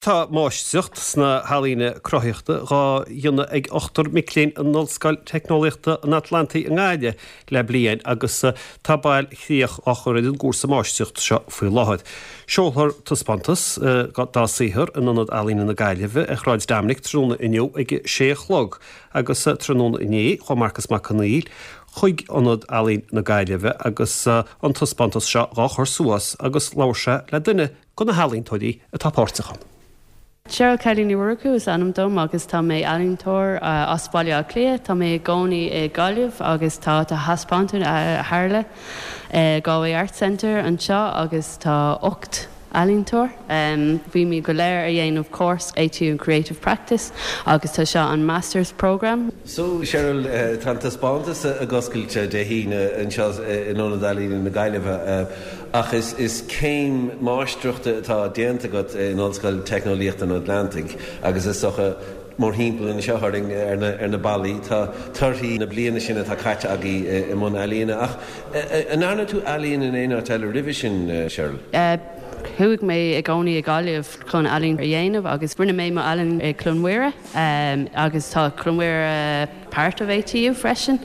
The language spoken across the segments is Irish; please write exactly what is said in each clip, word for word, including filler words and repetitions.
Tá máistreacht sna healaíona cruthaitheachta á dhéanamh ag ochtar mic léinn in Ollscoil Teicneolaíochta an Atlantaigh i nGaillimh le bliain agus tá bailchríoch á chur ar an gcúrsa máistreachta seo faoi láthair. Seolfar taispeántas dá saothar in Ionad Ealaíne na Gaillimhe ar Shráid Dominic tráthnóna inniu ag sé a chlog agus tráthnóna inné chuaigh Marcas Mac Conghail chuig Ionad Ealaíon na Gaillimhe agus an taispeántas seo á chur suas agus labhair sé le duine de na healaíontóirí atá páirteach ann. Cheryl Kelly Ní Mhurchú is ainm dom agus tá mé ealaíontóir as Baile Átha Cliath, Tá mé i gcónaí i Gaillimh agus tá tá taispeántas a tharla Galway Art Centre anseo agus tá ocht ealaíontóir. Um, bhí mé go léir a dhéanamh course A T U Creative Practice agus tá seo an Masters Program. So Cheryl uh, tá taispeántas ag oscailt Dé hAoine anseo in Ionad Ealaíne na Gaillimhe uh, ach is, is céim máistreachta atá déanta agat in Ollscoil Teicneolaíochta an Atlantaigh agus is socha mórthimpeall anseo ar na, ar na ballaí tá torthaí na bliana sin atá caite agaibh i mbun ealaíne ach an ndearna tú ealaín in aon áit eile roimhe sin, Cheryl? Uh, Chuaigh mé i gcónaí i Gaillimh chun ealaín a dhéanamh agus rinne mé mo ealaín i Cluain Mhuire um, agus tá Cluain Mhuire part of A T U freisin.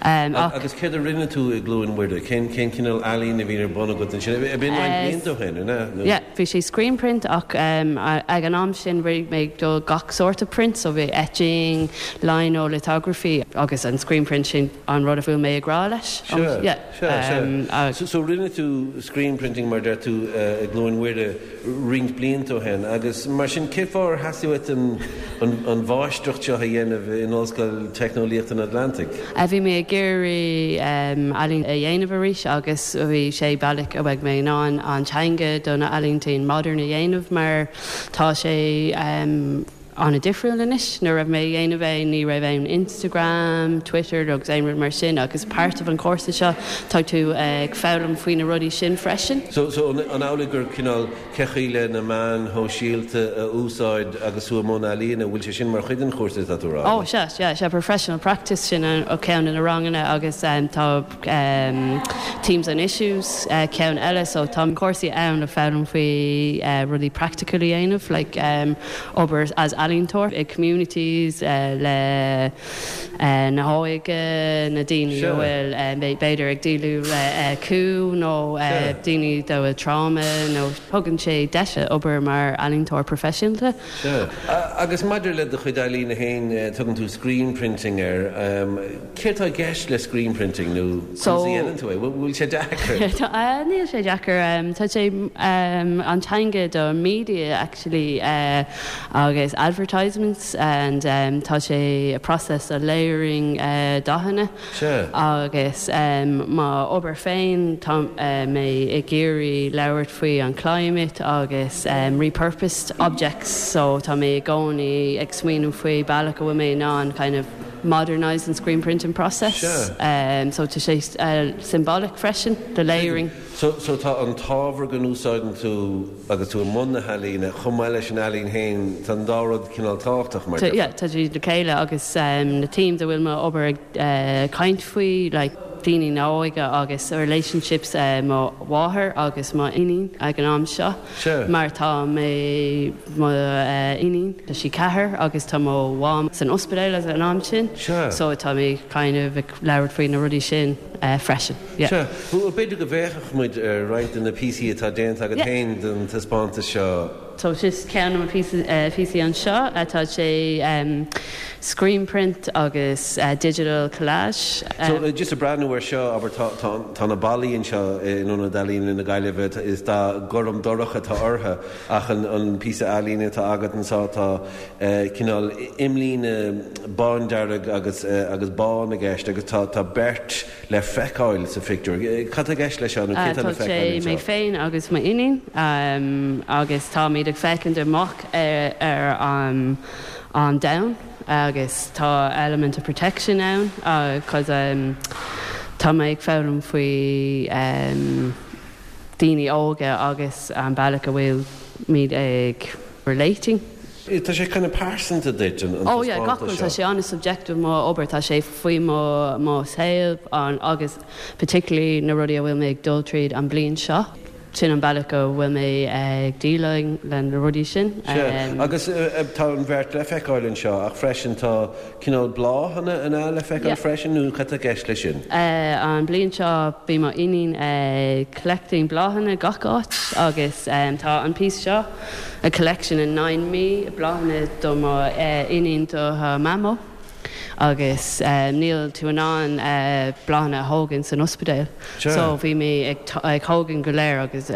Um, agus céard a rinne tú i gCluain Mhuire, cén cén cineál ealaín a bhí ar bun agat sin b'in blianta ó Yeah, bhí sé screen print ach um, ag an am sin bhí mé do gach sort of print, so bhí etching, lino, lithography agus an screen print sin an rud a bhfuil mé ag rá leis. Um, yeah, um, uh, so, so rinne tú screen printing mar deir tú uh, i gCluain Mhuire roinnt blianta ó shin agus mar sin cén fáth ar theastaigh an, an, an mháistreacht seo a dhéanamh in Ollscoil Teicneolaíochta an Atlantaigh. A bhí mé ag iarraidh ealaín a dhéanamh arís agus bhí sé bealach a bheidh mé in ann an teanga do na ealaíonta modern a dhéanamh mar tá sé um, an-difriúil anois nuair a bhí mé dhéanamh é ní raibh aon Instagram, Twitter agus aon rud mar sin agus part of an cúrsa seo tá tú ag foghlaim faoi na rudaí sin freisin. So, so an amhlaidh gur cineál cén chaoi le na meáin shóisialta a úsáid agus tú i mbun ealaíne bhfuil sé sin mar chuid den chúrsa tá tú rá. Oh sea yeah, sea professional practice sin an ó ceann na ranganna agus um, tá um, themes and issues uh, ceann eile so tá cúrsaí ann le foghlaim faoi uh, rudaí practical a dhéanamh like um, obair as ealaíontóir i communities uh, le uh, na hóige na daoine bhfuil um, b'fhéidir ag déileáil le uh, cú nó uh, daoine do bhfuil trauma nó thugann sé deis obair mar ealaíontóir proifisiúnta. Agus maidir le do chuid ealaíne féin tugann tú screen printing air um, céard atá i gceist le screen printing nó tú bhfuil sé deacair? Níl sé deacair um, tá sé um, an teanga do media actually uh, agus advertisements and um, tá sé a process a layering uh, dathanna agus um, m'obair féin tá uh, mé ag iarraidh labhairt faoi an climate agus um, repurposed objects so tá mé i gcónaí ag smaoineamh faoi bealach a bhfuil mé in ann kind of modernize and screen printing process. Sure. Um, so tá sé uh, symbolic freisin the layering. So, so tá an t-ábhar go n-úsáideann tú agus tú i mbun na healaíne chomh maith leis an ealaín féin tá an dá rud cineál tábhachtach mar. Yeah, tá siad le chéile agus um, na themes a bhfuil mé obair ag uh, caint faoi like, daoine óga agus relationships uh, mo mháthair agus mo iníon ag an am seo Sure. mar tá mé mo uh, iníon tá sí ceathair agus tá mo mham san ospidéal ag an am sin Sure. so tá mé kind of ag labhairt faoi na rudaí sin uh, freisin. Yeah. Sure. B'fhéidir go bhfeicfeadh muid ar roinnt de na píosaí atá déanta agat Yeah. féin don taispeántas seo. So just ceann na píosaí anseo atá sé um, screen print agus uh, digital collage. So Um, uh, just ag breathnú air seo aber tá tá- tá na ballaí anseo in Ionad Ealaíne na Gaillimhe is dath gorm dorcha atá orthu ach an, an píosa ealaíne atá agat anseo tá uh, cineál imlíne bándearg agus uh, agus bán i gceist agus tá tá beirt le feiceáil sa phictiúr. Cad atá i gceist leis seo nó Uh, cé tá Tá le sé feiceáil mé anseo? féin agus m'iníon um, agus táimid ag féachaint amach ar, ar um, an domhan agus tá element of protection ann cos um, tá mé ag foghlaim faoi um, daoine óga agus an bealach a bhfuil muid ag relating. Tá sé kind of pearsanta duit an Oh yeah, gach rud, tá sé an-subjective mo obair tá sé faoi mo mo shaol an agus particularly na rudaí a bhfuil mé ag dul tríd an bliain seo. Sin an bealach go bhfuil mé ag déileáil le na rudaí sin. Agus tá an bheirt le feiceáil anseo ach freisin tá cineál bláthanna ann le feiceáil freisin nó cad tá i gceist leis sin? An bliain seo bhí mo iníon ag collecting bláthanna gach áit agus tá an piece seo a collection in nine mí bláthanna do mo iníon do mamó. agus níl tú in ann bláthanna a thógaint san ospidéal. So bhí mé ag tógaint go léir agus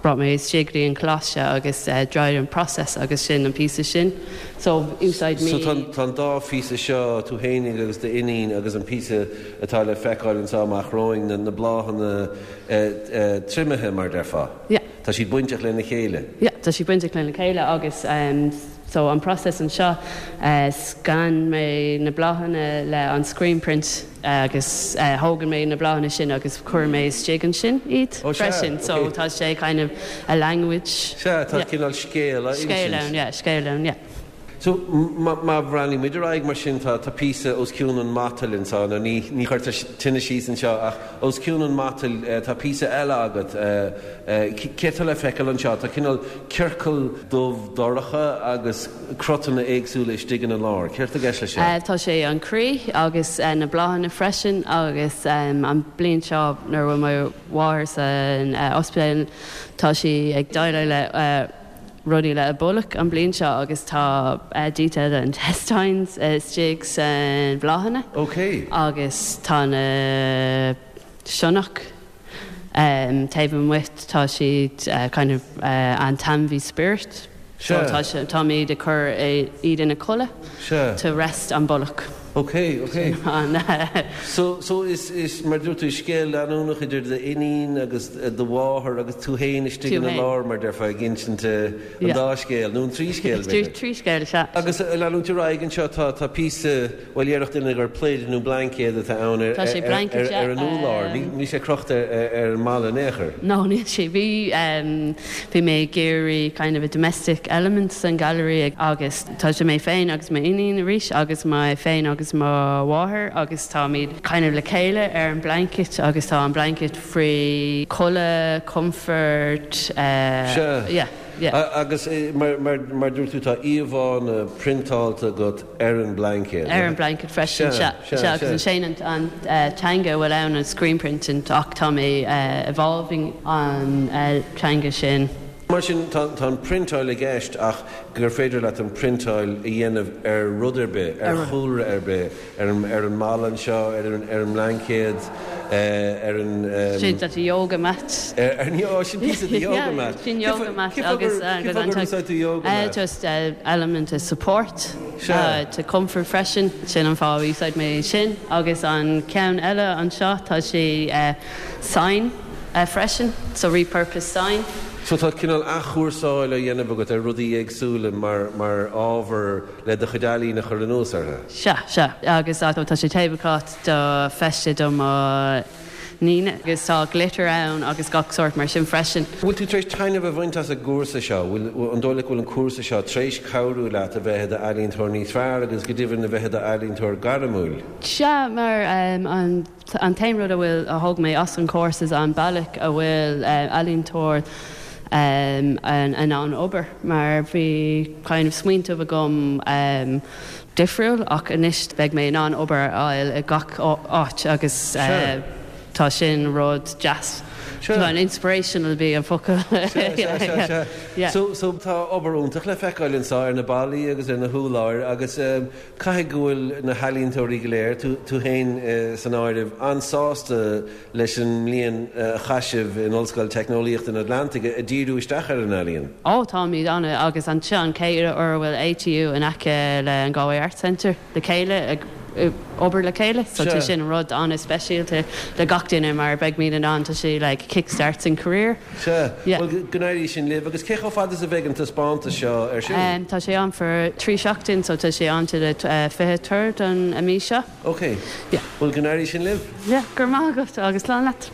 brought mé isteach go dtí an coláiste agus dried an process agus sin an píosa sin. So úsáid mé. So tá an dá phíosa seo tú fhéinig agus d'iníon agus an píosa atá le feiceáil anseo amach romhainn na bláthanna triomaithe mar déarfá. Yeah. Tá siad bainteach lena chéile. Yeah, tá siad bainteach lena chéile agus um, so an process anseo uh, scan mé na bláthanna le an screen print uh, agus uh, thóg mé na bláthanna sin agus chuir mé isteach ansin iad oh, freisin so okay. tá sé kind of a language. Sea tá cineál scéal Scéal ann, yeah, scéal ann, yeah. So má bhreathnaíonn muid ar aghaidh mar sin tá tá píosa os cionn an matail anseo nó ní ní chuirtear tine síos anseo ach os cionn an matail tá píosa eile agat céard atá le feiceáil anseo tá cineál ciorcal dubh dorcha agus cruthanna éagsúla istigh ina lár. Céard atá i gceist leis sin? Tá sé an croí agus na bláthanna freisin agus an bliain seo nuair bhfuil mo mháthair san ospidéal tá sí ag déileáil le rudaí le a bolg an bliain seo agus tá detail intestines istigh san bláthanna. Ok. Agus tá na sionnach um, taobh amuigh tá siad uh, kind of uh, an t-ainmhí spirit. So tá táimid ag cur iad ina codladh to rest an bolg. Ok, ok. An, uh, So, so is, is mar dúirt tú scéal leanúnach idir d'iníon agus do mháthair agus tú féin istigh ina lár mar déarfá ag insint an dá scéal, nó an trí scéal b'fhéidir. Trí scéal, sea. Agus leanúint ar aghaidh anseo tá tá píosa, bhuel déarfadh duine gur plaid nó blaincéad atá ann ar Tá sé blanket, ar, ar an úlár. Níl sé crochta ar, ar an mballa in aon chor. No, níl sé. Bhí um, bhí mé ag iarraidh kind of a domestic element san gallery agus tá sé mé féin agus m'iníon arís agus mé féin agus mo mháthair agus táimid kind of le chéile ar an blanket agus tá an blanket faoi codladh, comfort, uh, Sea. yeah, yeah. Agus mar, mar, mar dúirt tú tá íomhánna priontáilte agat ar an blanket. Ar an blanket freisin Sea, sea, sea, agus sea. an sin an, an uh, teanga bhfuil ann an screen printing ach tá mé uh, evolving an uh, teanga sin. Mar sin tá tá an priontáil i gceist ach gur féidir leat an priontáil a dhéanamh ar rud ar bith, ar chúlra ar bith, ar an, ar an mballa anseo, ar an, ar an mblaincéad, uh, ar an... Um, Sin that yoga mat. Ar, ar, oh, sin píosa de yoga mat. Sin yoga mat agus agus an úsáid tú yoga uh, mat? just uh, element of support Sea. uh, to comfort freisin sin an fáth úsáid mé sin agus an ceann eile anseo tá sé uh, sign uh, freisin so repurpose sign. So tá cineál athchúrsáil á dhéanamh agat ar rudaí éagsúla mar, mar ábhar le do chuid ealaíne a chur anuas orthu. Sea, sea, agus tá sé tablecloth do feiste do mo níon agus tá glitter ann agus gach sórt mar sin freisin. Bhfuil tú tar éis taitneamh a bhaint as an gcúrsa seo, bhfuil an dóigh leat go bhfuil an cúrsa seo tar éis cabhrú leat a bheith i d'ealaíontóir níos fearr agus go deimhin a bheith i d'ealaíontóir gairmiúil. Sea, mar um, an, an t-aon rud a bhfuil a thóg mé as an cúrsa is an bealach a bhfuil uh, ealaíontóir um, an, an an obair mar bhí kind of smaointe agam um, difriúil ach anois beidh mé in ann obair a fháil i gach áit agus uh, tá sin rud deas. Sure. Tá an inspirational bí an focal. Yeah. So, so tá obair iontach le feiceáil anseo ar na ballaí agus ar na húláir agus um, caithfidh go bhfuil na healaíontóirí go léir tú, tú féin uh, san áireamh an-sásta leis an mbliain uh, a chaith sibh in Ollscoil Teicneolaíochta an Atlantaigh ag díriú isteach ar an ealaíon. Ó táimid ann agus an seo an chéad uair a bhfuil ATU in aice le an Galway Arts Centre le chéile ag obair le chéile, so tá sin rud an-speisialta le gach duine mar beidh mé in ann tá sé like kickstarts an career. Sea, well go n-éirí sin libh agus cé chomh fada is a bheidh an taispeántas seo ar siúl? Um, tá sé ann for trí seachtain, so tá sé ann to the uh, fiche third an mí seo. Ok. Yeah. Well go n-éirí sin libh? Yeah, go raibh maith agat agus slán leat.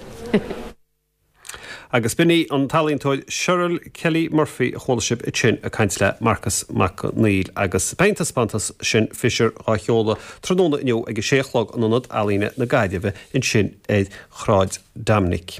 Agus b'in í an t-ealaíontóir Cheryl Kelly Murphy a chuala sibh ansin ag caint le Marcus Mac Neill agus beidh an taispeántas sin Fisher á sheoladh tráthnóna inniu ag a sé a chlog in Ionad Ealaíne na Gaillimhe ansin ar Shráid Dominic.